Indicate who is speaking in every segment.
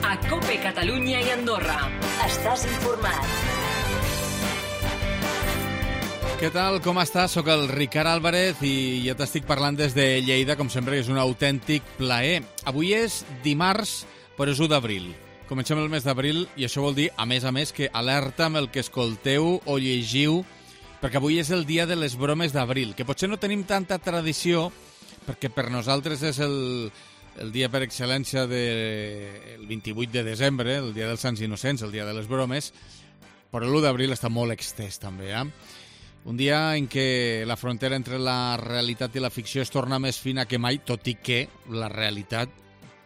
Speaker 1: a COPE Catalunya i Andorra. Estàs informat.
Speaker 2: Què tal, com estàs? Soc el Ricard Álvarez i ja t'estic parlant des de Lleida, com sempre, és un autèntic plaer. Avui és dimarts, però és 1 d'abril. Comencem el mes d'abril i això vol dir, a més, que alerta amb el que escolteu o llegiu, perquè avui és el dia de les bromes d'abril, que potser no tenim tanta tradició, perquè per nosaltres és el dia per excel·lència del 28 de desembre, el dia dels Sants Innocents, el dia de les bromes, però l'1 d'abril està molt extès també, Un dia en què la frontera entre la realitat i la ficció es torna més fina que mai, tot i que la realitat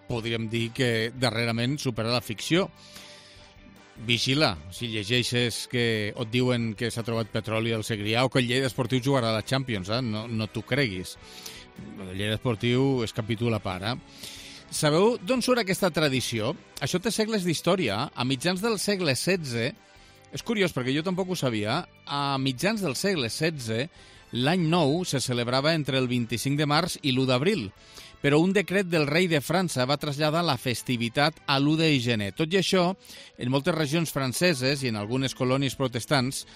Speaker 2: podríem dir que darrerament supera la ficció. Vigila, si llegeixes que et diuen que s'ha trobat petroli al Segrià o que el Lleida Esportiu jugarà a la Champions, no t'ho creguis. El Lleida Esportiu és capítol a part. Sabeu d'on surt aquesta tradició? Això té segles d'història. A mitjans del segle XVI, és curiós perquè jo tampoc ho sabia, a mitjans del segle XVI, l'any nou se celebrava entre el 25 de març i l'1 d'abril, però un decret del rei de França va traslladar la festivitat a l'1 de gener. Tot i això, en moltes regions franceses i en algunes colònies protestants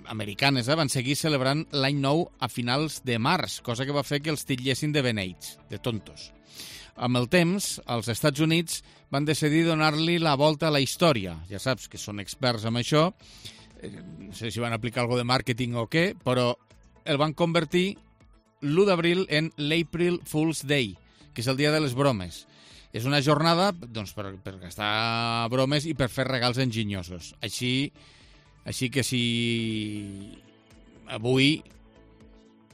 Speaker 2: americanes van seguir celebrant l'any nou a finals de març, cosa que va fer que els titllessin de beneits, de tontos. Amb el temps, els Estats Units van decidir donar-li la volta a la història. Ja saps que són experts en això, no sé si van aplicar alguna de màrqueting o què, però el van convertir l'1 d'abril en l'April Fool's Day, que és el dia de les bromes. És una jornada doncs, per gastar bromes i per fer regals enginyosos. Així que si avui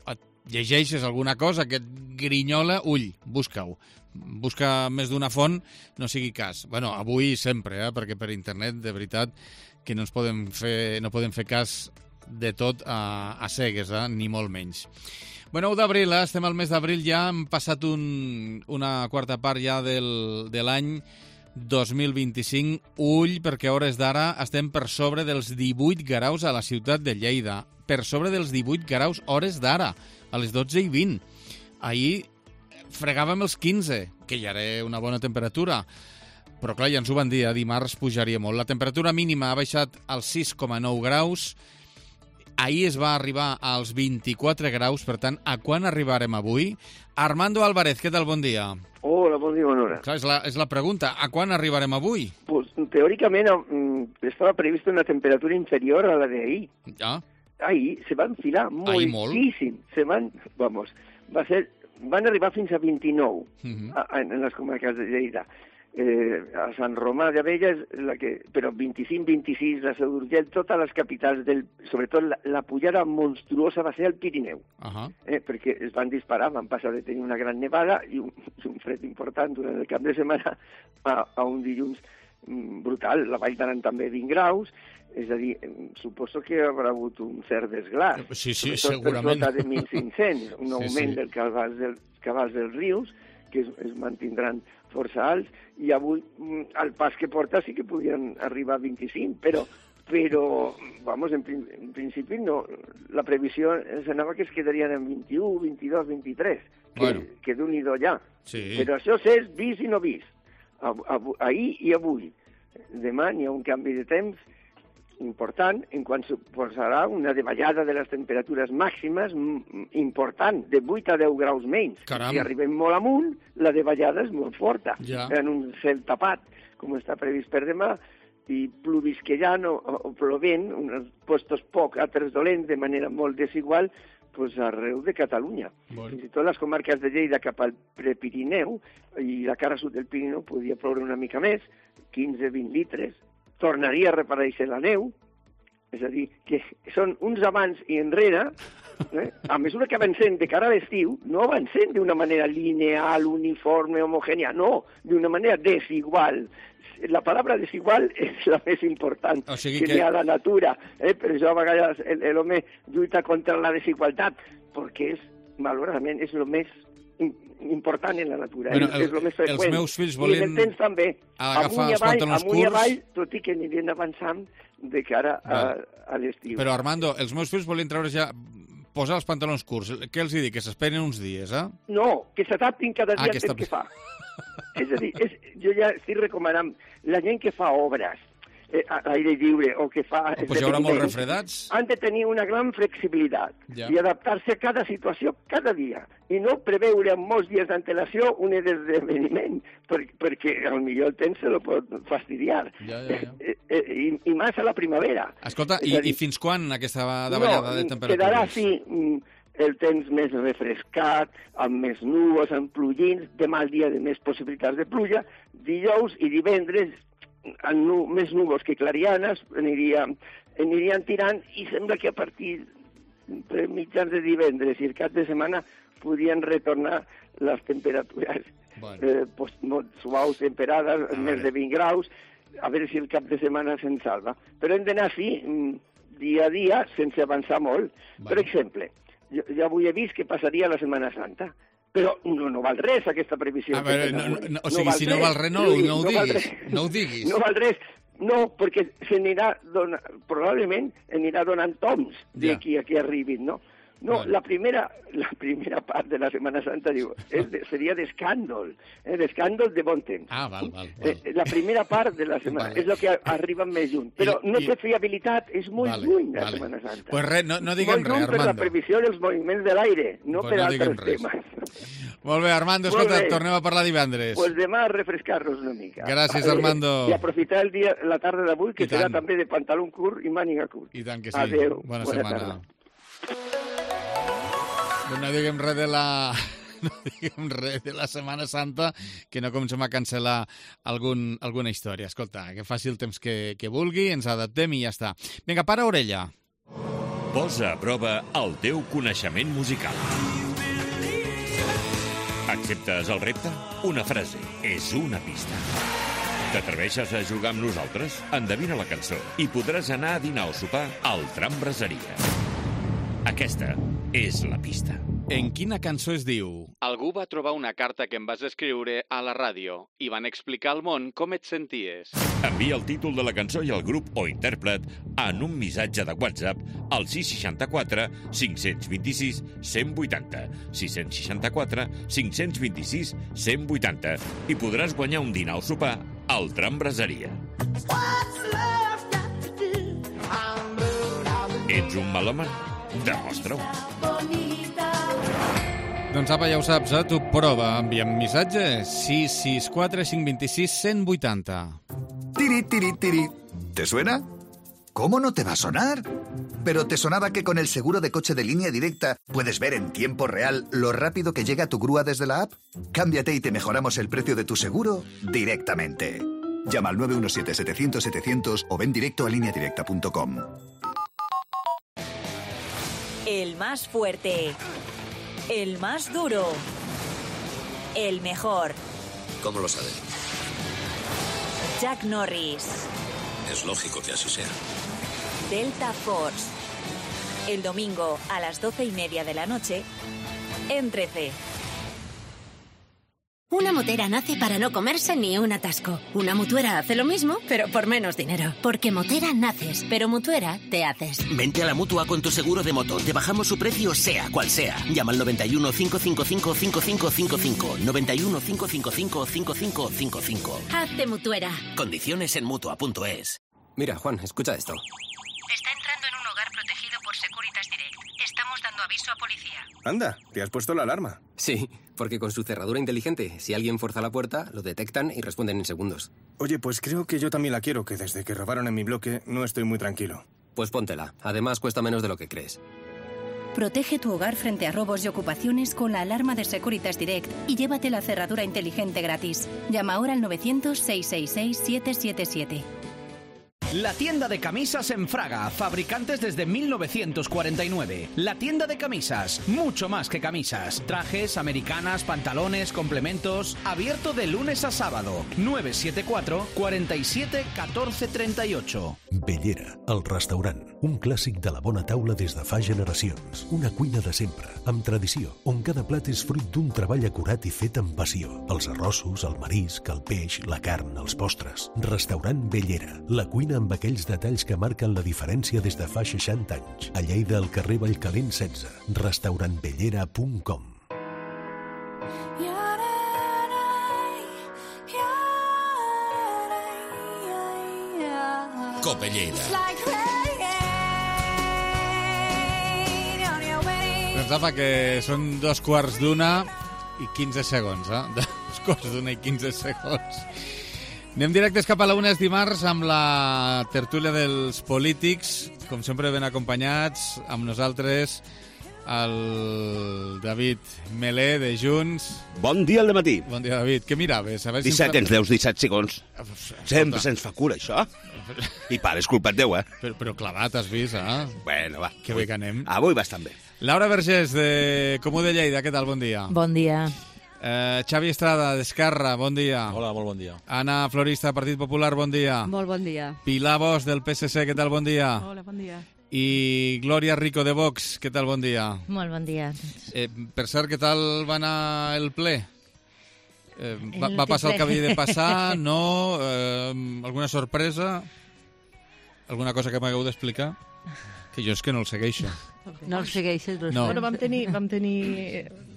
Speaker 2: et llegeixes alguna cosa que et grinyola, ull, busca-ho. Busca més d'una font, no sigui cas. Bueno, avui sempre, perquè per internet, de veritat, que no podem fer cas de tot a cegues, ni molt menys. Bueno, 1 d'abril, estem al mes d'abril ja, hem passat una quarta part ja de l'any 2025. Ull, perquè a hores d'ara estem per sobre dels 18 graus a la ciutat de Lleida. Per sobre dels 18 graus hores d'ara, a les 12:20. Ahir fregàvem els 15, que ja era una bona temperatura. Però clar, ja ens ho van dir, dimarts pujaria molt. La temperatura mínima ha baixat als 6,9 graus. Ahir es va arribar als 24 graus, per tant, a quan arribarem avui? Armando Álvarez, què tal? Bon dia.
Speaker 3: Hola, bon dia, bona hora.
Speaker 2: Clar, és la pregunta, a quan arribarem avui?
Speaker 3: Pues, teòricament estava prevista una temperatura inferior a la d'ahir.
Speaker 2: Ja.
Speaker 3: Ahir se va enfilar moltíssim. Van arribar fins a 29 en les comarques de Lleida. A Sant Romà d'Abella, però 25-26, la Seu d'Urgell, totes les capitals, sobretot la pujada monstruosa va ser al Pirineu, perquè es van disparar, van passar de tenir una gran nevada i un fred important durant el cap de setmana a un dilluns brutal. La Vall d'Aran també 20 graus, és a dir, suposo que haurà hagut un cert desglàs.
Speaker 2: Sí, segurament.
Speaker 3: Per sota de 1.500, un augment dels cabals dels rius, que es mantindran força alts, i avui al pas que porta sí que podien arribar a 25, però en principi no. La previsió s'anava que es quedarien en 21, 22, 23, que d'un-i-do ja. Sí. Però això és vist i no vist. Ahir i avui. Demà n'hi ha un canvi de temps important, en quant suposarà una davallada de les temperatures màximes important, de 8 a 10 graus menys.
Speaker 2: Caram.
Speaker 3: Si arribem molt amunt, la davallada és molt forta.
Speaker 2: Ja.
Speaker 3: En un cel tapat, com està previst per demà, i plovisquejant o plovent, uns postos poc, altres dolents, de manera molt desigual, pues arreu de Catalunya. Fins i tot les comarques de Lleida cap al Prepirineu i la cara sud del Pirineu podia ploure una mica més, 15-20 litres, tornaria a reaparèixer la neu, és a dir, que són uns abans i enrere, a mesura que avancem de cara a l'estiu, no avancem d'una manera lineal, uniforme, homogènia, no, d'una manera desigual. La paraula desigual és la més important que hi ha a la natura. Per això a vegades l'home lluita contra la desigualtat, perquè malauradament és el més important en la natura. És el més freqüent.
Speaker 2: Els meus fills volien...
Speaker 3: I en el temps també.
Speaker 2: Agafar els pantalons curts...
Speaker 3: Amunt i avall, tot i que anirien avançant de cara a l'estiu.
Speaker 2: Però, Armando, els meus fills volien treure ja posar els pantalons curts. Què els dic? Que s'esperen uns dies, eh?
Speaker 3: No, que s'adaptin cada dia al temps que fa. És a dir, jo ja estic recomanant la gent que fa obres a l'aire lliure o que fa...
Speaker 2: Pues hi haurà molts refredats.
Speaker 3: Han de tenir una gran flexibilitat i adaptar-se a cada situació cada dia i no preveure amb molts dies d'antelació un esdeveniment perquè potser el temps se lo pot fastidiar. I més a la primavera.
Speaker 2: Escolta, i fins quan aquesta davallada de temperatures?
Speaker 3: Quedarà així el temps més refrescat, amb més núvols, amb plugins, demà el dia de més possibilitats de pluja, dijous i divendres amb més núvols que clarianes anirien tirant i sembla que a partir de mitjans de divendres i el cap de setmana podrien retornar les temperatures molt suaus, temperades, més de 20 graus, a veure si el cap de setmana se'n salva. Però hem d'anar així, dia a dia, sense avançar molt. Per exemple, jo avui he vist que passaria la Setmana Santa, però no val res aquesta previsió.
Speaker 2: A veure, o sigui, si no val res, no ho diguis. No ho diguis.
Speaker 3: No al res. No, perquè probablement anirà donant toms d'aquí a que arribin, no? No, la primera part de la Setmana Santa, diu, seria d'escàndol, d'escàndol de bon temps.
Speaker 2: Val.
Speaker 3: La primera part de la setmana és el que arriba més lluny, però no té fiabilitat, és molt lluny la Setmana Santa.
Speaker 2: Pues res, no diguem res, Armando.
Speaker 3: Molt lluny per la previsió dels moviments de l'aire, no per altres temes.
Speaker 2: Molt bé, Armando, escolta, tornem a parlar divendres.
Speaker 3: Pues demà a refrescar-nos una mica.
Speaker 2: Gràcies, Armando.
Speaker 3: I aprofitar la tarda d'avui, que serà també de pantaló curt i màniga curt.
Speaker 2: I tant que sí.
Speaker 3: Adéu.
Speaker 2: Bona setmana. No diguem res de la Setmana Santa, que no comencem a cancel·lar alguna història. Escolta, que faci el temps que vulgui, ens adaptem i ja està. Vinga, para orella.
Speaker 4: Posa a prova el teu coneixement musical. Acceptes el repte? Una frase és una pista. T'atreveixes a jugar amb nosaltres? Endevina la cançó i podràs anar a dinar o sopar al Tram Braseria. Aquesta és la pista.
Speaker 2: En quina cançó es diu?
Speaker 5: Algú va trobar una carta que em vas escriure a la ràdio i van explicar al món com et senties.
Speaker 4: Envia el títol de la cançó i el grup o intèrpret en un missatge de WhatsApp al 664 526 180 664 526 180 i podràs guanyar un dinar o sopar al Tram Braseria. Ets un melòman? Demostra-ho.
Speaker 2: Doncs apa, ja ho saps, tu prova, envia'm missatge 664 526 180.
Speaker 6: Tiri, tiri, tiri. ¿Te suena? ¿Cómo no te va a sonar? Pero ¿te sonaba que con el seguro de coche de Línea Directa puedes ver en tiempo real lo rápido que llega tu grúa desde la app? Cámbiate y te mejoramos el precio de tu seguro directamente. Llama al 917-700-700 o ven directo a lineadirecta.com.
Speaker 7: El más fuerte, el más duro, el mejor.
Speaker 8: ¿Cómo lo sabe?
Speaker 7: Chuck Norris.
Speaker 8: Es lógico que así sea.
Speaker 7: Delta Force. El domingo a las 12:30 de la noche en 13.
Speaker 9: Una motera nace para no comerse ni un atasco. Una mutuera hace lo mismo, pero por menos dinero. Porque motera naces, pero mutuera te haces.
Speaker 10: Vente a la Mutua con tu seguro de moto. Te bajamos su precio sea cual sea. Llama al 91 555 5555. 91 555 5555.
Speaker 9: Hazte mutuera.
Speaker 10: Condiciones en Mutua.es.
Speaker 11: Mira, Juan, escucha esto.
Speaker 12: Está entrando en un hogar protegido por Securitas Direct. Estamos dando aviso a policía.
Speaker 11: Anda, ¿te has puesto la alarma? Sí, porque con su cerradura inteligente, si alguien fuerza la puerta, lo detectan y responden en segundos.
Speaker 13: Oye, pues creo que yo también la quiero, que desde que robaron en mi bloque no estoy muy tranquilo.
Speaker 11: Pues póntela. Además, cuesta menos de lo que crees.
Speaker 14: Protege tu hogar frente a robos y ocupaciones con la alarma de Securitas Direct y llévate la cerradura inteligente gratis. Llama ahora al 900-666-777.
Speaker 15: La tienda de camisas en Fraga, fabricantes desde 1949. La tienda de camisas, mucho más que camisas. Trajes, americanas, pantalones, complementos. Abierto de lunes a sábado. 974 47 14 38.
Speaker 16: Bellera, el restaurant. Un clàssic de la bona taula des de fa generacions. Una cuina de sempre, amb tradició, on cada plat és fruit d'un treball acurat i fet amb passió. Els arrossos, el marisc, el peix, la carn, els postres. Restaurant Bellera, la cuina amb aquells detalls que marquen la diferència des de fa 60 anys. A Lleida, al carrer Vallcalent 16, restaurantbellera.com.
Speaker 4: Cope Lleida.
Speaker 2: Doncs apa, que són 2:15 i 15 segons, 2:15 i 15 segons. Anem directes cap a la 1, és dimarts, amb la tertúlia dels polítics, com sempre ben acompanyats, amb nosaltres el David Melé, de Junts.
Speaker 17: Bon dia al dematí.
Speaker 2: Bon dia, David. Què miraves? A veure
Speaker 17: 17, ens deus 17 segons. Sempre se'ns fa cura, això. I pare, és culpa teu,
Speaker 2: Però clavat, has vist,
Speaker 17: Bueno, va.
Speaker 2: Que bé que anem.
Speaker 17: Avui bastant bé.
Speaker 2: Laura Vergés, de Comú de Lleida, què tal? Bon dia.
Speaker 18: Bon dia.
Speaker 2: Xavi Estrada, d'Esquerra, bon dia.
Speaker 19: Hola, molt bon dia.
Speaker 2: Anna Florista, Partit Popular, bon dia.
Speaker 18: Molt bon dia.
Speaker 2: Pilar Bosch, del PSC, què tal? Bon dia.
Speaker 18: Hola, bon dia.
Speaker 2: I Glòria Rico, de Vox, què tal? Bon dia.
Speaker 18: Molt bon dia.
Speaker 2: Per cert, què tal va anar el ple? Va passar el que havia de passar? No? Alguna sorpresa? Alguna cosa que m'hagueu d'explicar? Que jo és que no el segueixo.
Speaker 18: No el segueixes?
Speaker 2: No.
Speaker 20: Bueno, vam tenir...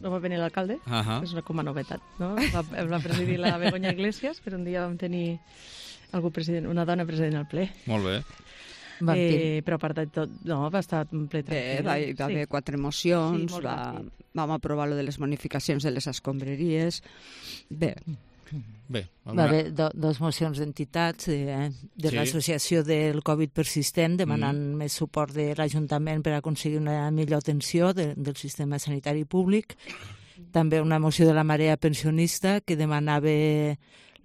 Speaker 20: No va venir l'alcalde, és com a novetat, no? Va presidir la Begoña Iglesias, però un dia vam tenir una dona president al ple.
Speaker 2: Molt bé.
Speaker 20: Però a part de tot, no, va estar un ple tranquil.
Speaker 21: Va haver 4 mocions, vam aprovar lo de les bonificacions de les escombraries. Bé.
Speaker 18: Va haver 2 mocions d'entitats de l'associació del Covid persistent demanant més suport de l'Ajuntament per aconseguir una millor atenció del sistema sanitari públic. També una moció de la Marea Pensionista que demanava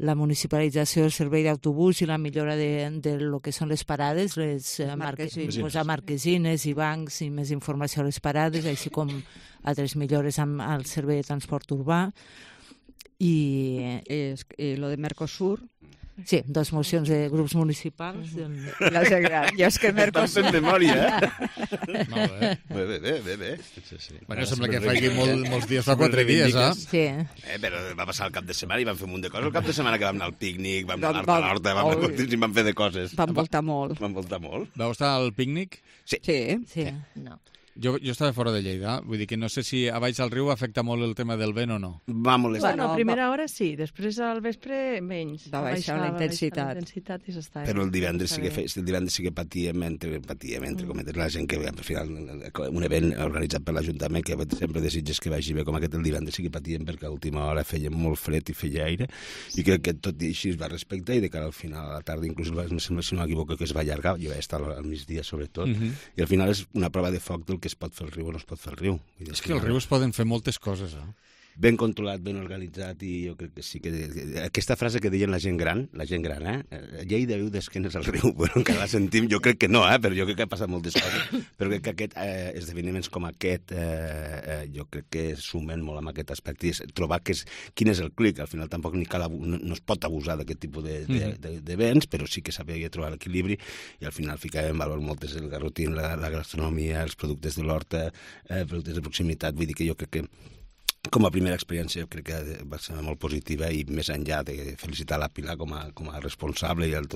Speaker 18: la municipalització del servei d'autobús i la millora de lo que són les parades, posar marquesines i bancs i més informació a les parades, així com altres millores amb el servei de transport urbà.
Speaker 21: I lo de Mercosur.
Speaker 18: Sí, 2 mocions de grups municipals.
Speaker 21: La gent gran. Jo és que Mercosur...
Speaker 17: Estan fent memòria,
Speaker 2: Molt bé.
Speaker 17: Bé.
Speaker 2: Bueno, sembla que faci molts dies, fa 4 dies,
Speaker 18: Sí.
Speaker 17: Però va passar el cap de setmana i vam fer un munt de coses. El cap de setmana que vam anar al pícnic, vam anar a l'horta, vam fer de coses.
Speaker 21: Vam voltar molt.
Speaker 2: Vau estar al pícnic?
Speaker 17: Sí.
Speaker 18: No.
Speaker 2: Jo estava fora de Lleida, vull dir que no sé si a baix al riu afecta molt el tema del vent o no.
Speaker 17: Va molestar.
Speaker 20: Bueno, a primera hora sí, després al vespre menys.
Speaker 21: Va baixar la intensitat.
Speaker 20: I s'estava...
Speaker 17: Però el divendres sí que patíem, entre cometes, la gent que al final, un event organitzat per l'Ajuntament, que sempre desitges que vagi bé com aquest, el divendres sí que patíem perquè a última hora feia molt fred i feia aire, i crec que tot i així es va respectar, i de cara al final, a la tarda, inclús si no m'equivoco, que es va allargar, jo vaig estar al migdia sobretot, i al final és una prova de foc del que es pot fer el riu o no es pot fer el riu.
Speaker 2: És que al riu es poden fer moltes coses,
Speaker 17: Ben controlat, ben organitzat, i jo crec que sí que... Aquesta frase que deien la gent gran, Lleida viu d'esquenes al riu, bueno, encara la sentim, jo crec que no, però jo crec que ha passat moltes coses, però crec que esdeveniments com aquest jo crec que sumen molt amb aquest aspecte, i trobar quin és el clic, al final tampoc no es pot abusar d'aquest tipus d'events, però sí que saber trobar l'equilibri, i al final ficàvem en valor moltes, el garrotín, la gastronomia, els productes de l'horta, productes de proximitat, vull dir que jo crec que com a primera experiència crec que va ser molt positiva, i més enllà de felicitar la Pilar com a responsable i els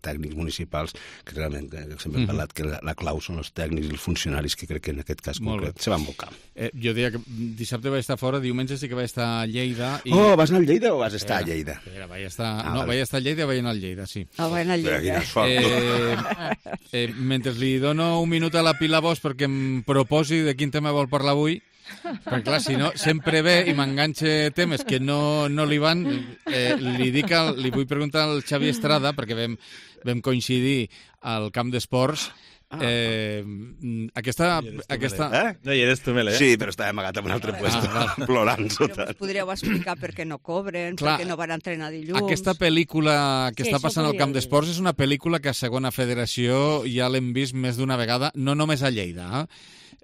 Speaker 17: tècnics municipals, que realment sempre hem parlat que la clau són els tècnics i els funcionaris, que crec que en aquest cas concret se van volcar.
Speaker 2: Jo diria que dissabte vaig estar fora, diumenge sí que vaig estar a Lleida.
Speaker 17: Oh, vas anar a Lleida o vas estar a Lleida?
Speaker 2: Vaig estar a Lleida i vaig anar a Lleida, sí.
Speaker 21: Vaig anar a Lleida.
Speaker 2: Mentre li dono un minut a la Pilar Bosch perquè em proposi de quin tema vol parlar avui, perquè clar, si no, sempre ve i m'enganxa temes que no li van, li vull preguntar al Xavi Estrada, perquè vam coincidir al camp d'esports. Aquesta...
Speaker 19: No hi eres tu, Mele.
Speaker 17: Sí, però estava amagat en un altre puesto, plorant sota.
Speaker 21: Podríeu explicar per què no cobren, per què no van entrenar dilluns...
Speaker 2: Aquesta pel·lícula que està passant al camp d'esports és una pel·lícula que a segona federació ja l'hem vist més d'una vegada, no només a Lleida.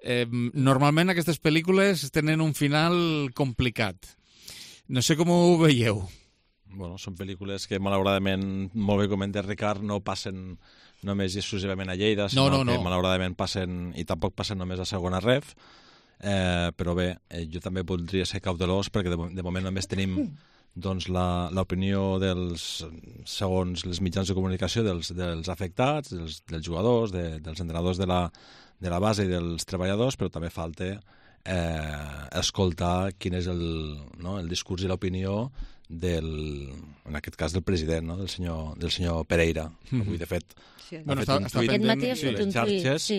Speaker 2: Normalment aquestes pel·lícules tenen un final complicat. No sé com ho veieu.
Speaker 19: Bueno, són pel·lícules que malauradament, molt bé comentat Ricard, no passen només i exclusivament a Lleida, sinó que malauradament passen, i tampoc passen només a segona ref, però bé, jo també voldria ser cautelós perquè de moment només tenim doncs l'opinió segons els mitjans de comunicació dels afectats, dels jugadors, dels entrenadors de la base i dels treballadors, però també falta escoltar quin és el discurs i l'opinió en aquest cas del president, no? del senyor Pereira. Avui, de fet, ha fet un tuit a les xarxes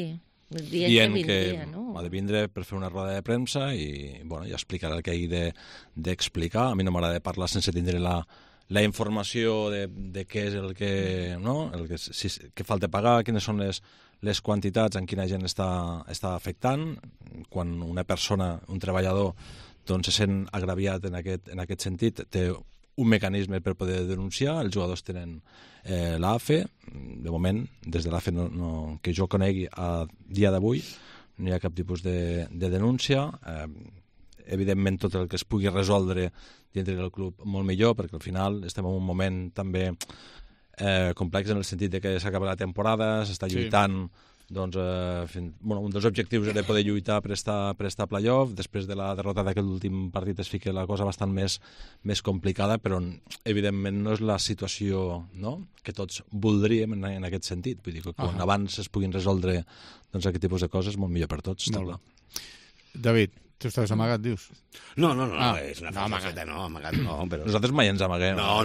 Speaker 19: dient que ha de vindre per fer una roda de premsa i ja explicarà el que hagi d'explicar. A mi no m'agrada parlar sense tindre la informació de què és el que falta pagar, quines són les quantitats, en quina gent està afectant. Quan una persona, un treballador, doncs se sent agraviat en aquest sentit, té un mecanisme per poder denunciar. Els jugadors tenen l'AFE. De moment, des de l'AFE que jo conegui a dia d'avui, no hi ha cap tipus de denúncia. Evidentment, tot el que es pugui resoldre dintre del club molt millor, perquè al final estem en un moment també complex en el sentit de que s'acaba la temporada, s'està lluitant. Doncs, un dels objectius era poder lluitar per estar a playoff. Després de la derrota d'aquest últim partit es fica la cosa bastant més complicada, però evidentment no és la situació que tots voldríem en aquest sentit. Vull dir que quan abans es puguin resoldre aquest tipus de coses, molt millor per tots.
Speaker 2: David, tu estaves amagat, dius?
Speaker 17: No, és una falseta, amagat no, però...
Speaker 19: Nosaltres mai ens amaguem.
Speaker 17: No,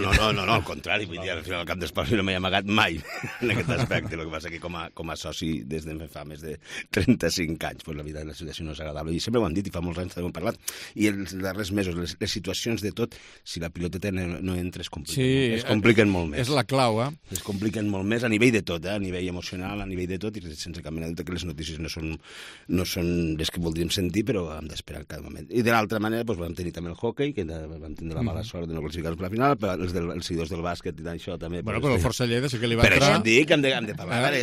Speaker 17: al contrari, vull dir, al final al cap d'espoli no m'he amagat mai en aquest aspecte. El que passa que com a soci des de fa més de 35 anys, la vida de la situació no és agradable. I sempre ho han dit, i fa molts anys també ho hem parlat, i els darrers mesos, les situacions de tot, si la piloteta no entra, es compliquen molt més.
Speaker 2: És la clau,
Speaker 17: Es compliquen molt més a nivell de tot, a nivell emocional, a nivell de tot, i sense cap mena de dubte que les notícies no són les que voldríem sentir, però hem d'esperar en cada moment. I de l'altra manera, vam tenir també el hoquei, que vam tenir la mala sort de no classificar-nos per la final, però els seguidors del bàsquet i d'això també...
Speaker 2: Bueno, però el Força Lleida sí que li va entrar...
Speaker 17: Per això et dic que hem de parlar.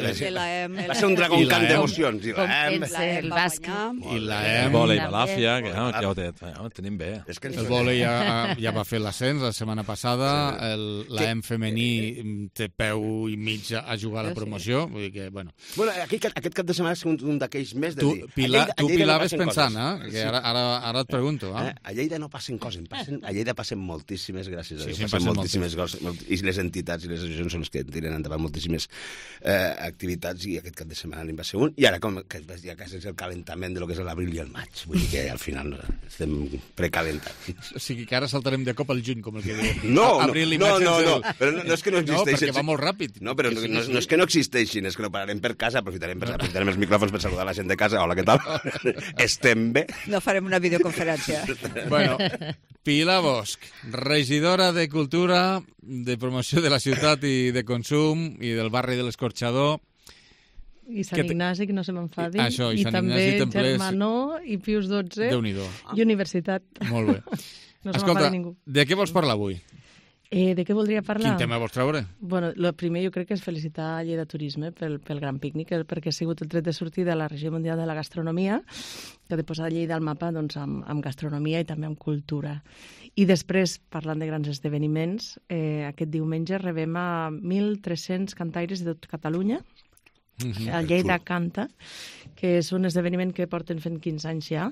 Speaker 17: Va ser un dragon camp d'emocions. I
Speaker 18: el bàsquet.
Speaker 2: I
Speaker 19: el vòlei Balàfia, que ja ho tenim bé.
Speaker 2: El vòlei ja va fer l'ascens la setmana passada, l'AM femení té peu i mig a jugar a la promoció, vull dir que, bueno...
Speaker 17: Aquest cap de setmana és un d'aquells més de dir...
Speaker 2: Tu pilaves pensant, que ara et pregunto.
Speaker 17: A Lleida no passen coses, a Lleida passen moltíssimes, gràcies a Déu, passen moltíssimes coses, i les entitats i les associacions són les que tiren endavant moltíssimes activitats, i aquest cap de setmana n'hi va ser un, i ara ja quasi és el calentament de lo que és l'abril i el maig, vull dir que al final estem precalentats.
Speaker 2: O sigui que ara saltarem de cop al juny, com el que diu.
Speaker 17: No,
Speaker 2: però
Speaker 17: no és que no existeixin.
Speaker 2: No, perquè va molt ràpid.
Speaker 17: No, però no és que no existeixin, és que no pararem per casa, aprofitarem els micròfons per saludar la gent de casa. Hola, què tal? Estem bé?
Speaker 21: No farem una videoconferència.
Speaker 2: Bueno, Pilar Bosch, regidora de Cultura, de Promoció de la Ciutat i de Consum i del barri de l'Escorxador.
Speaker 20: I Sant Ignasi, que no se m'enfadi.
Speaker 2: Això, i
Speaker 20: també Germanó i Pius XII.
Speaker 2: Déu-n'hi-do.
Speaker 20: I Universitat.
Speaker 2: Molt bé.
Speaker 20: No se m'enfadi ningú.
Speaker 2: De què vols parlar avui?
Speaker 20: De què voldria parlar?
Speaker 2: Quin tema vols treure?
Speaker 20: Bueno, el primer jo crec que és felicitar a Lleida Turisme pel gran pícnic, perquè ha sigut el tret de sortida de la Regió Mundial de la Gastronomia, que ha de posar Lleida al mapa amb gastronomia i també amb cultura. I després, parlant de grans esdeveniments, aquest diumenge rebem a 1.300 cantaires de tot Catalunya, a Lleida Canta, que és un esdeveniment que porten fent 15 anys ja,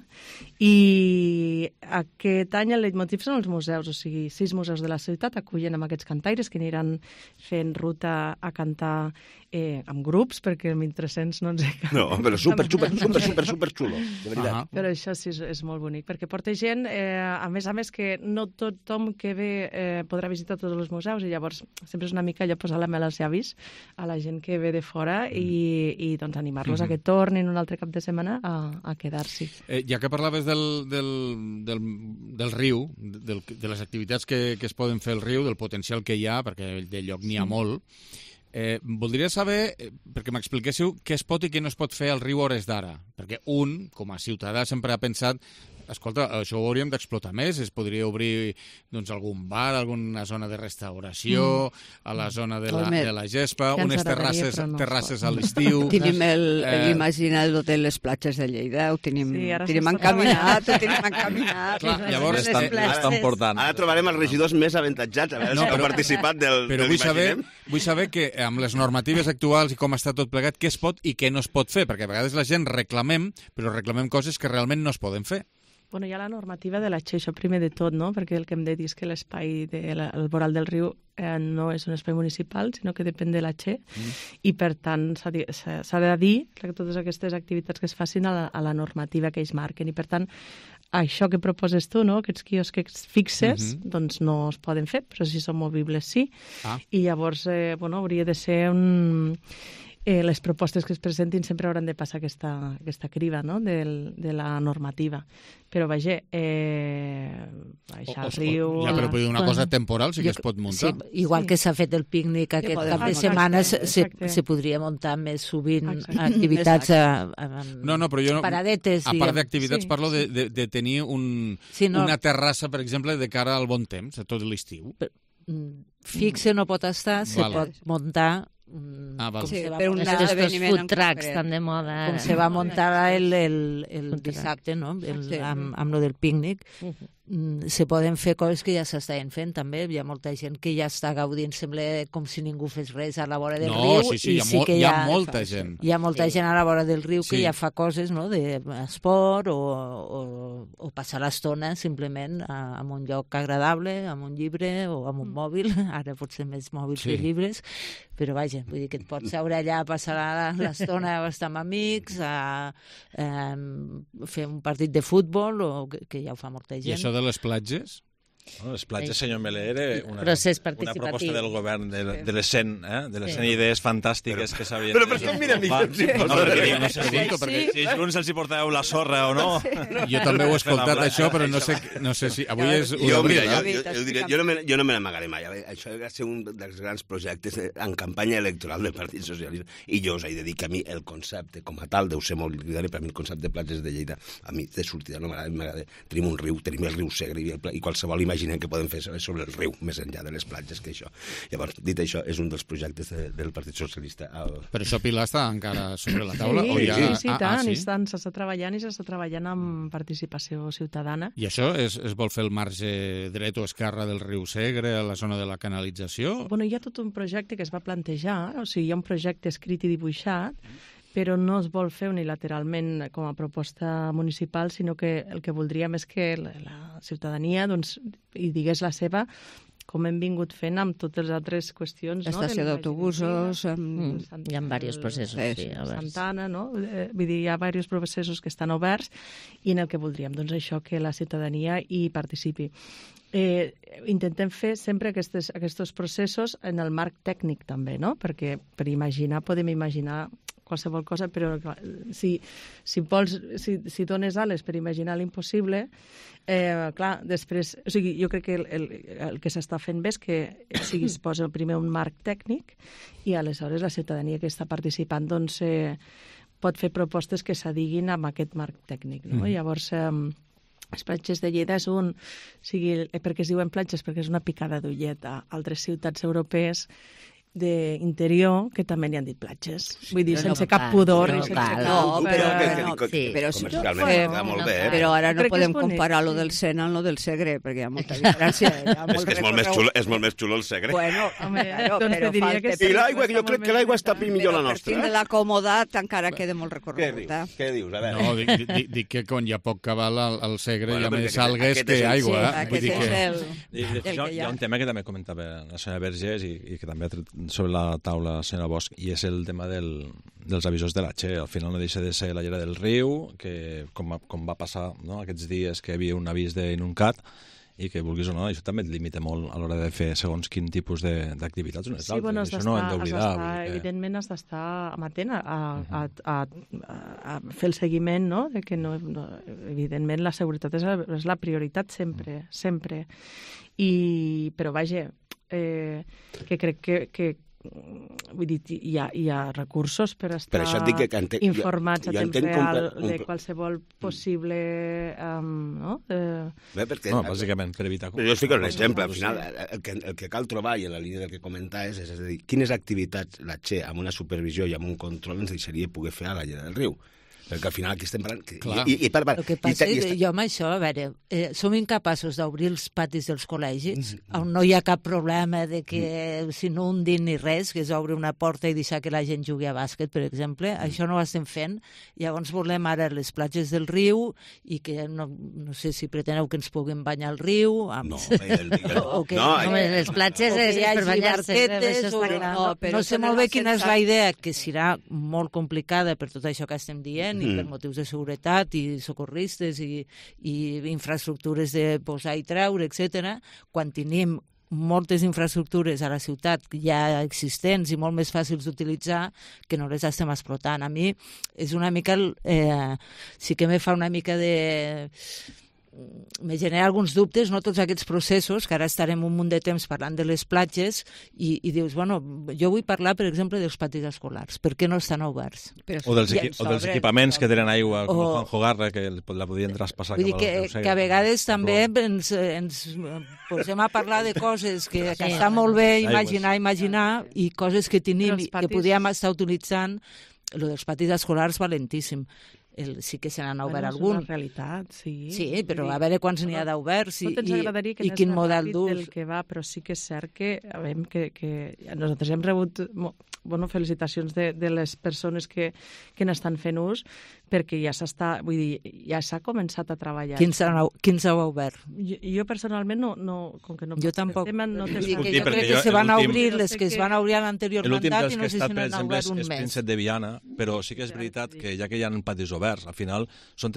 Speaker 20: i aquest any el leitmotiv són els museus, o sigui, 6 museus de la ciutat acullen amb aquests cantaires que aniran fent ruta a cantar amb grups, perquè el 1.300 no ens he cap.
Speaker 17: No, però super xulo, de veritat.
Speaker 20: Però això sí és molt bonic, perquè porta gent, a més que no tothom que ve podrà visitar tots els museus, i llavors sempre és una mica allò posar la mel als llavis a la gent que ve de fora i doncs animar-los a que tornin un altre cap de setmana a quedar-s'hi.
Speaker 2: Ja que parlaves del riu, de les activitats que es poden fer al riu, del potencial que hi ha, perquè de lloc n'hi ha molt, voldria saber, perquè m'expliquéssiu què es pot i què no es pot fer al riu a hores d'ara, perquè com a ciutadà, sempre ha pensat escolta, això ho hauríem d'explotar més, es podria obrir doncs, algun bar, alguna zona de restauració, a la zona de la gespa, unes terrasses a l'estiu...
Speaker 21: Tenim l'imagina l'hotel Les Platges de Lleida, ho tenim encaminat,
Speaker 19: Llavors estan portant.
Speaker 17: Ara trobarem els regidors més avantatjats, a veure si han participat del Imaginem.
Speaker 2: Vull saber que amb les normatives actuals i com està tot plegat, què es pot i què no es pot fer, perquè a vegades la gent reclamem, però reclamem coses que realment no es poden fer.
Speaker 20: Bueno, hi ha la normativa de la Che, això primer de tot, no? Perquè el que hem de dir és que l'espai del Voral del Riu no és un espai municipal, sinó que depèn de la Che, i per tant s'ha de dir que totes aquestes activitats que es facin a la normativa que ells marquen, i per tant això que proposes tu, no? Aquests quiosques fixes, doncs no es poden fer, però si són movibles sí, i llavors hauria de ser les propostes que es presentin sempre hauran de passar aquesta criba, no?, de la normativa. Però, vaja, baixar al riu...
Speaker 2: Ja, però una cosa temporal sí que es pot muntar.
Speaker 18: Sí, igual que s'ha fet el pícnic aquest cap de setmana, se podria muntar més sovint activitats paradetes.
Speaker 2: A part d'activitats, parlo de tenir una terrassa, per exemple, de cara al bon temps, a tot l'estiu.
Speaker 18: Fixe no pot estar, se pot muntar...
Speaker 21: per un esdeveniment
Speaker 18: food trucks tan de moda. Com se va muntar el dissabte, no? Amb lo del pícnic. Se poden fer coses que ja s'estaven fent, també. Hi ha molta gent que ja està gaudint, sembla com si ningú fes res a la vora del riu.
Speaker 2: No, sí, hi ha molta gent.
Speaker 18: Hi ha molta gent a la vora del riu que ja fa coses, no?, d'esport o passar l'estona simplement en un lloc agradable, amb un llibre o amb un mòbil. Ara potser més mòbils que llibres, però vaja, vull dir que et pots seure allà a passar l'estona a estar amb amics, a fer un partit de futbol, o que ja ho fa molta gent.
Speaker 2: I això de les platges?
Speaker 19: Les platges, senyor Meller, era una proposta del govern de les 100 idees fantàstiques que s'havien...
Speaker 17: Però per què em mira a mi?
Speaker 19: Si junts els hi portàveu la sorra o no...
Speaker 2: Jo també ho he escoltat, això, però no sé si... Avui és 1 d'abril.
Speaker 17: Jo no me n'amagaré mai. Això va ser un dels grans projectes en campanya electoral del Partit Socialista, i jo us he de dir que a mi el concepte com a tal deu ser molt lligari, per a mi el concepte de platges de Lleida, a mi de sortida no m'agrada. Tenim un riu, tenim el riu Segre, i qualsevol imaginem que podem fer sobre el riu, més enllà de les platges que això. Llavors, dit això, és un dels projectes del Partit Socialista.
Speaker 2: Però això, Pilar, està encara sobre la taula?
Speaker 20: Sí, tant. S'està treballant amb participació ciutadana.
Speaker 2: I això es vol fer el marge dret o esquerra del riu Segre, a la zona de la canalització?
Speaker 20: Bueno, hi ha tot un projecte que es va plantejar, o sigui, hi ha un projecte escrit i dibuixat, però no es vol fer unilateralment com a proposta municipal, sinó que el que voldríem és que la ciutadania hi digués la seva, com hem vingut fent amb totes les altres qüestions.
Speaker 21: Estació d'autobusos...
Speaker 18: Hi ha diversos processos.
Speaker 20: Santana, no? Vull dir, hi ha diversos processos que estan oberts i en el que voldríem, doncs, això, que la ciutadania hi participi. Intentem fer sempre aquests processos en el marc tècnic, també, no? Perquè per imaginar, podem imaginar qualsevol cosa, però si dones ales per imaginar l'impossible, clar, després... O sigui, jo crec que el que s'està fent bé és que es posa primer un marc tècnic i aleshores la ciutadania que està participant doncs pot fer propostes que s'adiguin amb aquest marc tècnic, no? Llavors... Les platges de Lleida és per què es diuen platges? Perquè és una picada d'ullet a altres ciutats europees d'interior que també n'hi han dit platges. Vull dir, sense cap pudor.
Speaker 21: Però ara no podem comparar lo del Sena amb lo del Segre, perquè hi ha molta diferència.
Speaker 17: És molt més xulo el Segre.
Speaker 21: Bueno, però
Speaker 17: falta... I l'aigua, jo crec que l'aigua està millor la nostra.
Speaker 21: Per la comodat encara queda molt recorregut.
Speaker 17: Què dius? A veure.
Speaker 2: No, dic que quan hi ha poc cabal al Segre hi ha més algues que aigua.
Speaker 19: Hi ha un tema que també comentava la senyora Vergés i que també ha tret sobre la taula la senyora Bosch, i és el tema dels avisos de la Che. Al final no deixa de ser la llera del riu, que com va passar aquests dies que hi havia un avís d'inuncat, i que vulguis o no, això també et limita molt a l'hora de fer segons quin tipus d'activitats.
Speaker 20: Sí, bueno, això no ho hem d'oblidar. Evidentment has d'estar amatent a fer el seguiment, no? De que evidentment la seguretat és la prioritat sempre. Però vaja, que crec que vull dir, hi ha recursos per estar informats a temps real de qualsevol possible
Speaker 19: bàsicament per evitar...
Speaker 17: Jo us fico un exemple, al final el que cal trobar, i en la línia del que comentaves, és a dir, quines activitats la Che amb una supervisió i amb un control ens deixaria poder fer a la llera del riu. Perquè al final aquí estem parlant...
Speaker 18: El que passa és que jo amb això, a veure, som incapaços d'obrir els patis dels col·legis, on no hi ha cap problema de que s'inundin ni res, que és obrir una porta i deixar que la gent jugui a bàsquet, per exemple. Això no ho estem fent. Llavors volem ara les platges del riu i que no sé si preteneu que ens puguem banyar al riu.
Speaker 17: No,
Speaker 18: les platges és per banyar-se. No sé molt bé quina és la idea, que serà molt complicada per tot això que estem dient, i per motius de seguretat i socorristes i infraestructures de posar i treure, etc. Quan tenim moltes infraestructures a la ciutat ja existents i molt més fàcils d'utilitzar que no les estem explotant. A mi és una mica... sí que me fa una mica de... me genera alguns dubtes, no, tots aquests processos, que ara estarem un munt de temps parlant de les platges i dius, bueno, jo vull parlar, per exemple, dels patis escolars. Per què no estan oberts?
Speaker 19: O dels equipaments que tenen aigua, com el Juan Jogarra, que la podien traspassar.
Speaker 18: Vull dir que a vegades també ens posem a parlar de coses que està molt bé imaginar i coses que tenim i que podríem estar utilitzant. El dels patis escolars, valentíssim. Sí que se n'han obert algun.
Speaker 20: És una realitat, sí.
Speaker 18: Sí, però a veure quants n'hi ha d'oberts i quin model d'ús.
Speaker 20: Però sí que és cert que nosaltres hem rebut felicitacions de les persones que n'estan fent ús, perquè ja s'ha començat a treballar.
Speaker 18: Quins heu obert?
Speaker 20: Jo personalment no, com que no...
Speaker 18: Jo tampoc.
Speaker 20: Jo
Speaker 18: crec que se van obrir les que es van obrir a l'anterior mandat i no sé si n'han obert un
Speaker 19: mes. És Príncep de Viana, però sí que és veritat que ja que hi ha patis oberts, al final són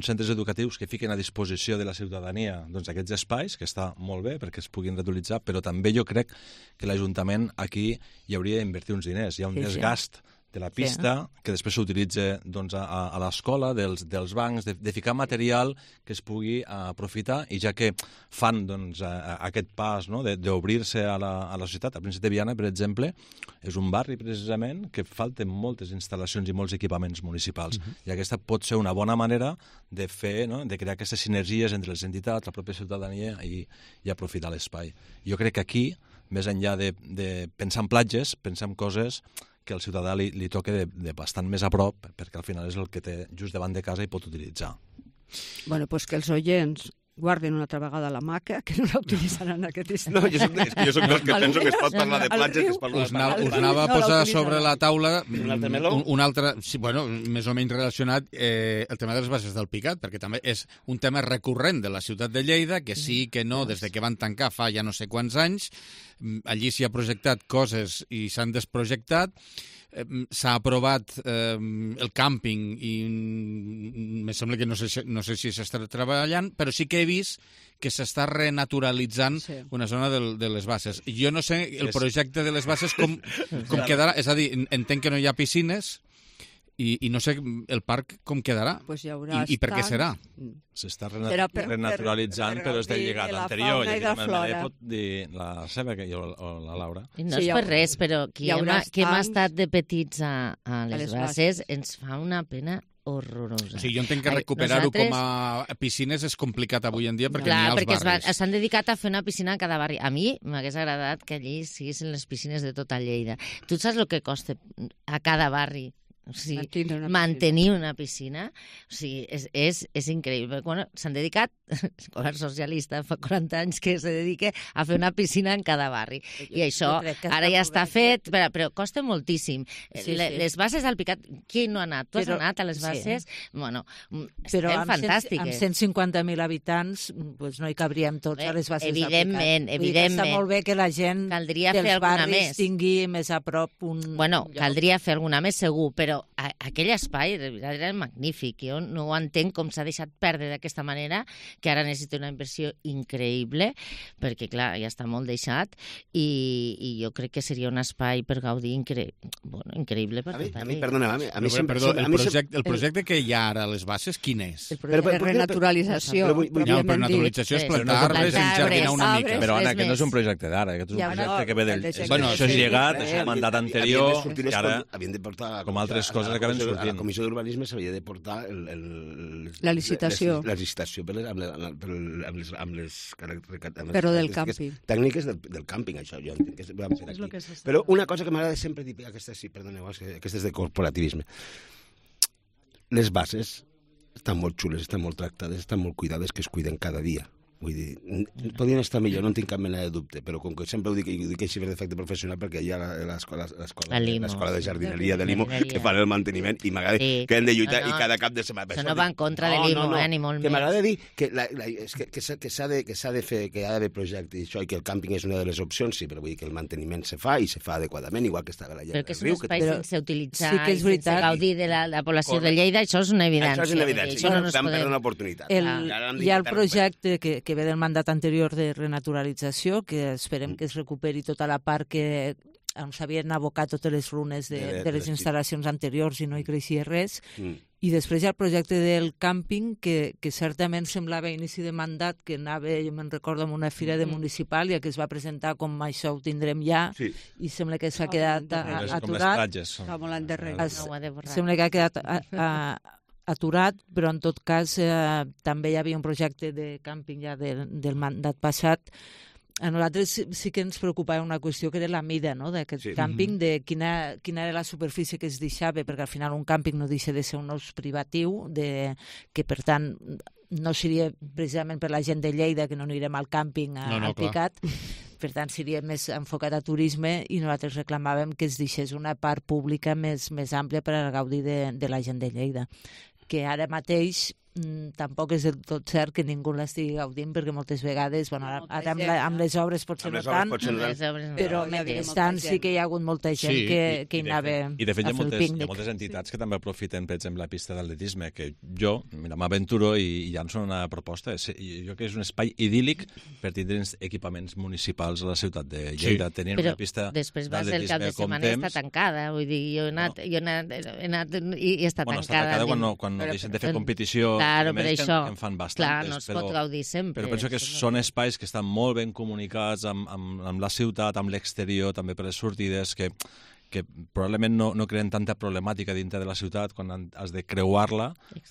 Speaker 19: centres educatius que fiquen a disposició de la ciutadania aquests espais, que està molt bé perquè es puguin reutilitzar, però també jo crec que l'Ajuntament aquí hi hauria d'invertir uns diners. Hi ha un desgast de la pista, que després s'utilitza a l'escola, dels bancs, de ficar material que es pugui aprofitar, i ja que fan aquest pas d'obrir-se a la societat. A Príncep de Viana, per exemple, és un barri precisament que falten moltes instal·lacions i molts equipaments municipals, i aquesta pot ser una bona manera de fer, de crear aquestes sinergies entre les entitats, la pròpia ciutadania i aprofitar l'espai. Jo crec que aquí, més enllà de pensar en platges, pensar en coses que al ciutadà li toca de bastant més a prop, perquè al final és el que té just davant de casa i pot utilitzar.
Speaker 21: Bueno, doncs que els oients guarden una altra vegada la maca, que no la utilitzaran aquest estiu.
Speaker 17: No, jo soc dels que penso que es pot parlar de platges, que es parla de platges.
Speaker 2: Us anava a posar sobre la taula un altre, bueno, més o menys relacionat, el tema de les bases del Picat, perquè també és un tema recurrent de la ciutat de Lleida, que sí, que no, des de que van tancar fa ja no sé quants anys, allí s'hi ha projectat coses i s'han desprojectat, s'ha aprovat el càmping i me sembla que no sé si s'està treballant, però sí que he vist que s'està renaturalitzant una zona de les bases. Jo no sé el projecte de les bases com quedarà, és a dir, entenc que no hi ha piscines i no sé el parc com quedarà i per què serà.
Speaker 19: S'està renaturalitzant, però és del llegat anterior. I aquí pot dir la Seba o la Laura.
Speaker 1: No és per res, però qui hem estat de petits a les bases ens fa una pena horrorosa.
Speaker 2: O sigui, jo entenc que recuperar-ho com a piscines és complicat avui en dia perquè n'hi ha als barris.
Speaker 1: Perquè s'han dedicat a fer una piscina a cada barri. A mi m'hagués agradat que allí siguessin les piscines de tota Lleida. Tu saps el que costa a cada barri? O sigui, mantenir una piscina, o sigui, és increïble. Bueno, s'han dedicat, el govern socialista fa 40 anys que se dedica a fer una piscina en cada barri. I això ara ja està fet, però costa moltíssim. Les bases del Picat, qui no ha anat? Tu has anat a les bases? Bueno, estem fantàstiques.
Speaker 18: Amb 150.000 habitants no hi cabríem tots a les bases del Picat.
Speaker 1: Evidentment.
Speaker 18: Està molt bé que la gent dels barris tingui més a prop un...
Speaker 1: Bueno, caldria fer alguna més, segur, però aquell espai era magnífic. Jo no ho entenc com s'ha deixat perdre d'aquesta manera, que ara necessita una inversió increïble, perquè, clar, ja està molt deixat, i jo crec que seria un espai per gaudir increïble.
Speaker 2: El projecte que hi ha ara a les bases, quin és?
Speaker 21: El projecte de renaturalització.
Speaker 2: Però renaturalització és plantar-les, enjardinar una mica.
Speaker 19: Però, Anna, aquest no és un projecte d'ara, aquest és un projecte que ve del... Això és llegat, és un mandat anterior, que ara, com altres coses acaben sortint.
Speaker 17: A la Comissió d'Urbanisme s'havia de portar
Speaker 21: la licitació.
Speaker 17: La licitació amb les
Speaker 21: però del càmping.
Speaker 17: Tècniques del càmping, això. Jo entenc que vam fer aquí. Però una cosa que m'agrada sempre dir, aquesta sí, perdoneu, aquesta és de corporativisme. les bases estan molt xules, estan molt tractades, estan molt cuidades, que es cuiden cada dia. Vull dir, podrien estar millor, no en tinc cap mena de dubte, però com que sempre ho dic així per defecte professional, perquè hi ha l'escola de jardineria de Limo que fan el manteniment i m'agrada que hem de lluitar i cada cap de setmana.
Speaker 1: Això no va en contra de Limo, ni molt més.
Speaker 17: Que m'agrada dir que s'ha de fer, que hi ha d'haver projecte i això, i que el càmping és una de les opcions, sí, però vull dir que el manteniment se fa i se fa adequadament, igual que estava la Lleida del Riu.
Speaker 1: Però que és un espai sense utilitzar i sense gaudir de la població de Lleida, això és una evidència.
Speaker 17: Això és una evidència, no vam perdre una oportunitat.
Speaker 18: Hi ha el projecte que ve del mandat anterior de renaturalització, que esperem que es recuperi tota la part que on s'havien abocat totes les runes de les instal·lacions anteriors i no hi creixia res. I després hi ha el projecte del càmping, que certament semblava a inici de mandat que anava, jo me'n recordo, en una fira de municipal i que es va presentar com això ho tindrem ja, i sembla que s'ha quedat aturat. Sembla que ha quedat aturat, però en tot cas també hi havia un projecte de càmping ja del mandat passat. A nosaltres sí que ens preocupava una qüestió que era la mida d'aquest càmping, de quina era la superfície que es deixava, perquè al final un càmping no deixa de ser un ús privatiu, que per tant no seria precisament per la gent de Lleida, que no anirem al càmping al Picat, per tant seria més enfocat a turisme, i nosaltres reclamàvem que es deixés una part pública més àmplia per al gaudi de la gent de Lleida, que ara mateix tampoc és del tot cert que ningú l'estigui gaudint, perquè moltes vegades, ara amb les obres potser no tant, però mentrestant sí que hi ha hagut molta gent que hi anava a fer el pícnic.
Speaker 19: I de fet hi ha moltes entitats que també aprofiten, per exemple, la pista d'atletisme, que jo m'aventuro i llanço una proposta. Jo que és un espai idíl·lic per tindre equipaments municipals a la ciutat de Lleida, tenint una pista
Speaker 1: d'atletisme com temps. Però després va ser el cap de setmana i està tancada, vull dir, jo he anat i està tancada.
Speaker 19: Està tancada quan deixen de fer competició.
Speaker 1: Claro, per això,
Speaker 19: en fan bastantes,
Speaker 1: clar, no es pot gaudir sempre.
Speaker 19: Però penso que són espais que estan molt ben comunicats amb la ciutat, amb l'exterior, també per les sortides, que probablement no creen tanta problemàtica dintre de la ciutat quan has de creuar-la,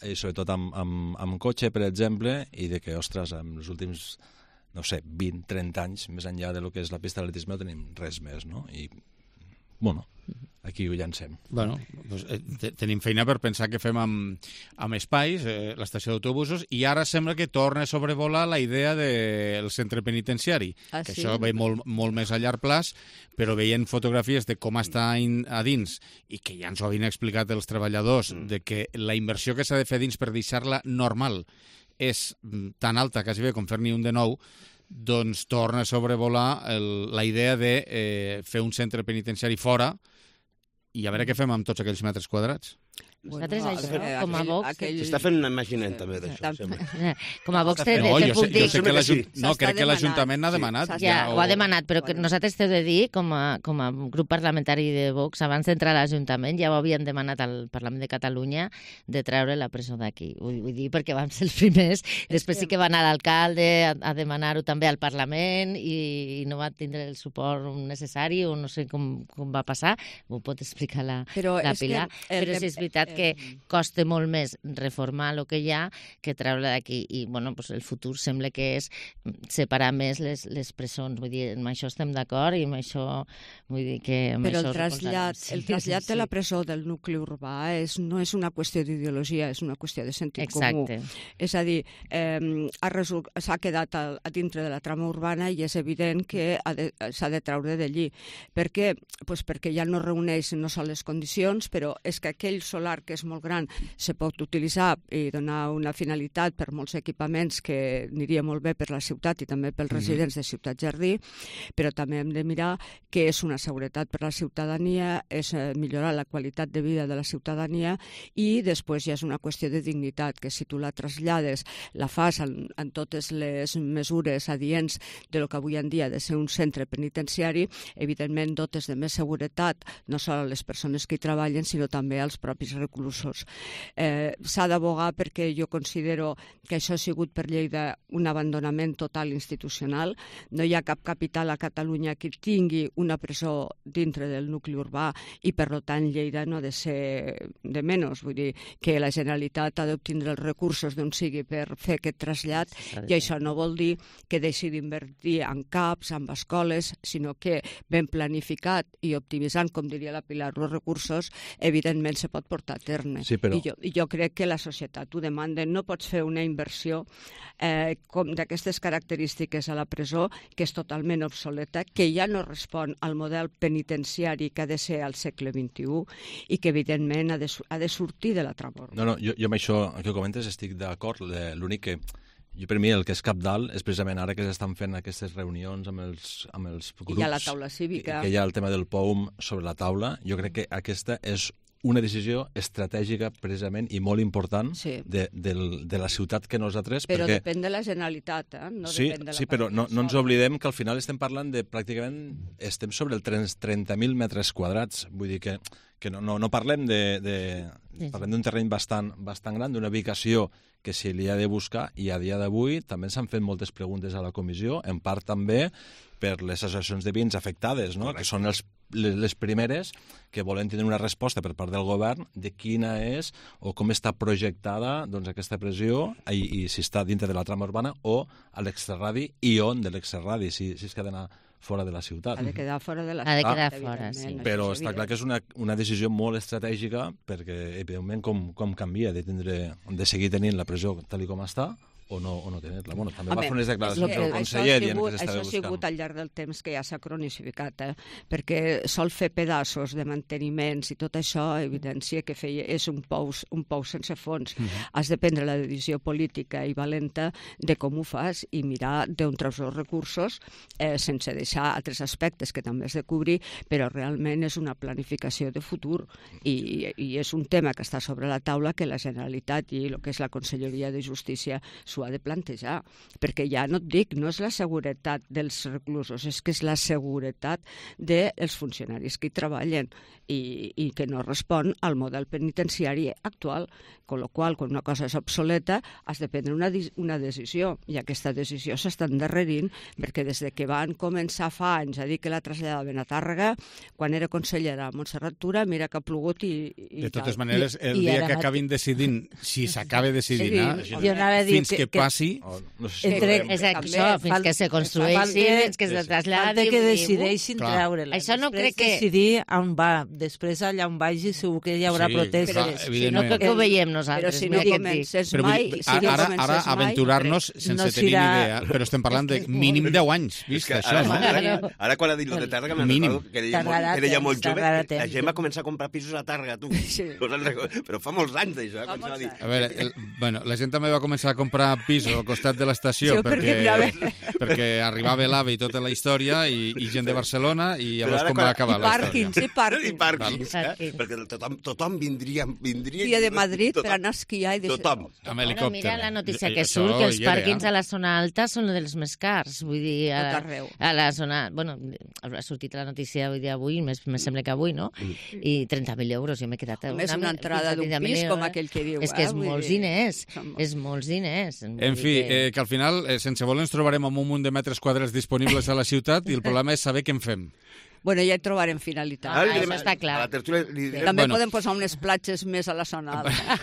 Speaker 19: i sobretot amb cotxe, per exemple, i de que, ostres, en els últims, no sé, 20-30 anys, més enllà de lo que és la pista d'atletisme, no tenim res més, no? I, bueno, aquí ho llancem.
Speaker 2: Bueno, doncs, tenim feina per pensar què fem amb espais, l'estació d'autobusos, i ara sembla que torna a sobrevolar la idea del centre penitenciari, que això ve molt més a llarg plaç, però veient fotografies de com està a dins, i que ja ens ho havien explicat els treballadors, de que la inversió que s'ha de fer dins per deixar-la normal és tan alta, quasi bé com fer-n'hi un de nou, doncs torna a sobrevolar la idea de fer un centre penitenciari fora i a veure què fem amb tots aquells metres quadrats.
Speaker 1: Nosaltres això, com a Vox...
Speaker 17: S'està fent un imaginant també d'això.
Speaker 1: Com a Vox te puc dir...
Speaker 2: No, crec que l'Ajuntament n'ha demanat.
Speaker 1: Ja, ho ha demanat, però nosaltres t'he de dir, com a grup parlamentari de Vox, abans d'entrar a l'Ajuntament, ja ho havien demanat al Parlament de Catalunya de treure la presó d'aquí. Vull dir, perquè vam ser els primers. Després sí que va anar l'alcalde a demanar-ho també al Parlament i no va tindre el suport necessari, o no sé com va passar. Ho pot explicar la Pilar. Però és veritat que costa molt més reformar el que hi ha que treure d'aquí. I bueno, pues el futur sembla que és separar més les presons. Vull dir, amb això estem d'acord i amb això vull dir que...
Speaker 21: Però el trasllat de la presó del nucli urbà no és una qüestió d'ideologia, és una qüestió de sentit comú. És a dir, s'ha quedat a dintre de la trama urbana i és evident que s'ha de treure d'allí. Per què? Pues perquè ja no reuneix no sols les condicions, però és que aquell solar que és molt gran se pot utilitzar i donar una finalitat per molts equipaments que aniria molt bé per la ciutat i també pels residents de Ciutat Jardí, però també hem de mirar que és una seguretat per la ciutadania, és millorar la qualitat de vida de la ciutadania i després ja és una qüestió de dignitat, que si tu la trasllades, la fas en totes les mesures adients de lo que avui en dia ha de ser un centre penitenciari, evidentment dotes de més seguretat, no sols a les persones que hi treballen, sinó també als propis reclusos. S'ha d'abogar perquè jo considero que això ha sigut per Lleida un abandonament total institucional. No hi ha cap capital a Catalunya que tingui una presó dintre del nucli urbà i, per tant, Lleida no ha de ser de menys. Vull dir que la Generalitat ha d'obtindre els recursos d'on sigui per fer aquest trasllat i això no vol dir que deixi d'invertir en CAPs, en escoles, sinó que ben planificat i optimitzant, com diria la Pilar, els recursos, evidentment se pot portar terme.
Speaker 19: Sí, però...
Speaker 21: I jo crec que la societat ho demanda. No pots fer una inversió com d'aquestes característiques a la presó, que és totalment obsoleta, que ja no respon al model penitenciari que ha de ser al segle XXI i que, evidentment, ha de sortir de la trama urbana.
Speaker 19: No, jo amb això que comentes estic d'acord. L'únic que per mi el que és cabdal és precisament ara que s'estan fent aquestes reunions amb els grups.
Speaker 21: Hi ha la taula cívica.
Speaker 19: Que hi ha el tema del POUM sobre la taula. Jo crec que aquesta és una decisió estratègica precisament i molt important de la ciutat que nosaltres...
Speaker 21: Però depèn de la Generalitat, no depèn de la...
Speaker 19: Sí, però no ens oblidem que al final estem parlant de pràcticament... Estem sobre els 30.000 metres quadrats. Vull dir que no parlem parlem d'un terreny bastant gran, d'una ubicació que se li ha de buscar, i a dia d'avui també s'han fet moltes preguntes a la comissió, en part també per les associacions de veïns afectades, no? Que són les primeres que volen tenir una resposta per part del govern de quina és o com està projectada aquesta pressió i si està dintre de la trama urbana o a l'extrarradi i on de l'extrarradi, si és que ha d'anar fora de la ciutat.
Speaker 21: Ha de quedar fora de la
Speaker 1: ciutat. Ha de quedar fora, sí.
Speaker 19: Però està clar que és una decisió molt estratègica perquè, evidentment, com canvia de seguir tenint la presó tal com està o no tenir-la. Bueno, també va fer unes declaracions del conseller dient que s'estava buscant.
Speaker 21: Això ha sigut al llarg del temps que ja s'ha cronicificat, perquè sol fer pedaços de manteniments i tot això evidencia que és un pou sense fons. Has de prendre la decisió política i valenta de com ho fas i mirar d'on treus els recursos sense deixar altres aspectes que també has de cobrir, però realment és una planificació de futur i és un tema que està sobre la taula que la Generalitat i el que és la Conselleria de Justícia s'ho ha de plantejar, perquè ja no et dic, no és la seguretat dels reclusos, és que és la seguretat dels funcionaris que hi treballen i que no respon al model penitenciari actual, amb la qual quan una cosa és obsoleta has de prendre una decisió, i aquesta decisió s'està endarrerint perquè des que van començar fa anys a dir que la traslladaven a Tàrrega, quan era consellera Montserrat Tura, mira que ha plogut i
Speaker 2: de totes maneres, el dia que acabin decidint, si s'acaba decidint, fins que passi...
Speaker 1: Exacte, fins que se construeixi, fins que se traslladi...
Speaker 18: Falta que decideixin treure-la.
Speaker 1: Això no crec que...
Speaker 18: decidir on va. Després allà on vagi segur que hi haurà protestes.
Speaker 1: No crec que ho veiem nosaltres.
Speaker 21: Però si no comences mai...
Speaker 2: Ara aventurar-nos sense tenir ni idea, però estem parlant de mínim 10 anys, vist això, no?
Speaker 17: Ara quan ha dit lo de Tàrrega me'n recordo que era ja molt jove, la gent va començar a comprar pisos a Tàrrega, tu. Però fa molts anys d'això.
Speaker 2: A veure, la gent també va començar a comprar pisos al costat de l'estació perquè arribava l'AVE i tota la història i gent de Barcelona i llavors com va acabar la història.
Speaker 21: I pàrquings,
Speaker 17: perquè tothom vindria...
Speaker 21: Via de Madrid per anar a esquiar i...
Speaker 17: Tothom.
Speaker 2: Amb helicòpter.
Speaker 1: Mira la notícia que surt, que els pàrquings a la zona alta són dels més cars. Vull dir, a la zona... Bueno, ha sortit la notícia avui, més sembla que avui, no? I 30.000 euros, jo m'he quedat...
Speaker 21: Més una entrada d'un pis com aquell que diu.
Speaker 1: És que és molts diners. És molts diners.
Speaker 2: En fi, que al final, sense voler, ens trobarem amb un munt de metres quadrats disponibles a la ciutat i el problema és saber què en fem.
Speaker 21: Bueno, ja hi trobarem finalitat.
Speaker 1: Això està clar.
Speaker 21: També podem posar unes platges més a la zona alta.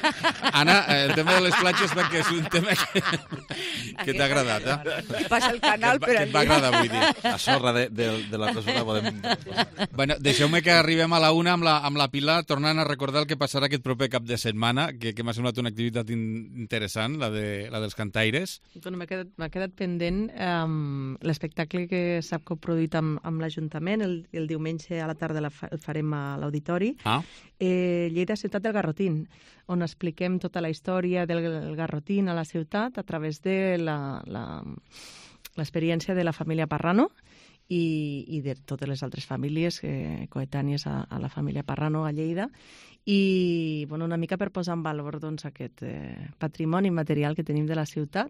Speaker 2: Anna, el tema de les platges perquè és un tema que t'ha agradat,
Speaker 21: eh? Passa el canal per allà.
Speaker 2: Que et va agradar, vull dir.
Speaker 19: La sorra de la presona podem...
Speaker 2: Bueno, deixeu-me que arribem a la una amb la Pilar, tornant a recordar el que passarà aquest proper cap de setmana, que m'ha semblat una activitat interessant, la dels cantaires.
Speaker 20: Bueno, m'ha quedat pendent l'espectacle que s'ha coproduït amb l'Ajuntament, el diumenge a la tarda el farem a l'auditori. Lleida Ciutat del Garrotín, on expliquem tota la història del garrotín a la ciutat a través de l'experiència de la família Parrano i de totes les altres famílies coetànies a la família Parrano a Lleida. I bueno, una mica per posar en valor aquest patrimoni material que tenim de la ciutat.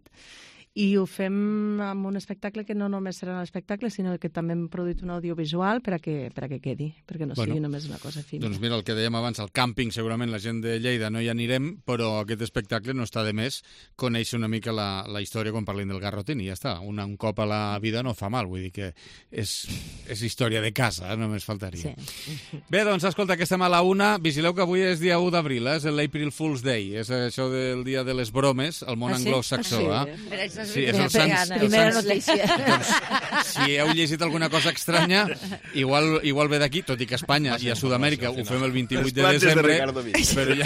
Speaker 20: I ho fem amb un espectacle que no només serà un espectacle, sinó que també hem produït un audiovisual per a que quedi, perquè no sigui només una cosa efímera.
Speaker 2: Doncs mira, el que dèiem abans, el càmping, segurament la gent de Lleida no hi anirem, però aquest espectacle no està de més conèixer una mica la història quan parlem del Garrotín, i ja està. Un cop a la vida no fa mal, vull dir que és història de casa, només faltaria. Sí. Bé, doncs, escolta, que estem a la una. Vigileu que avui és dia 1 d'abril, és l'April Fool's Day, és això del dia de les bromes, al món anglosaxó. Sí, és el Sants.
Speaker 1: Primera notícia.
Speaker 2: Doncs, si heu llegit alguna cosa estranya, igual ve d'aquí, tot i que a Espanya i a Sud-amèrica ho fem el 28 de desembre, però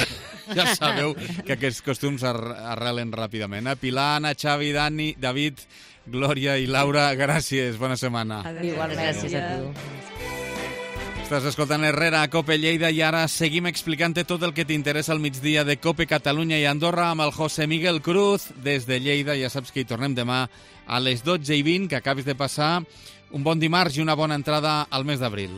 Speaker 2: ja sabeu que aquests costums arrelen ràpidament. Pilar, Anna, Xavi, Dani, David, Glòria i Laura, gràcies, bona setmana.
Speaker 1: Igualment, gràcies a tu.
Speaker 2: Estàs escoltant Herrera a COPE Lleida i ara seguim explicant-te tot el que t'interessa al migdia de COPE Catalunya i Andorra amb el José Miguel Cruz des de Lleida. Ja saps que hi tornem demà a les 12:20, que acabis de passar un bon dimarts i una bona entrada al mes d'abril.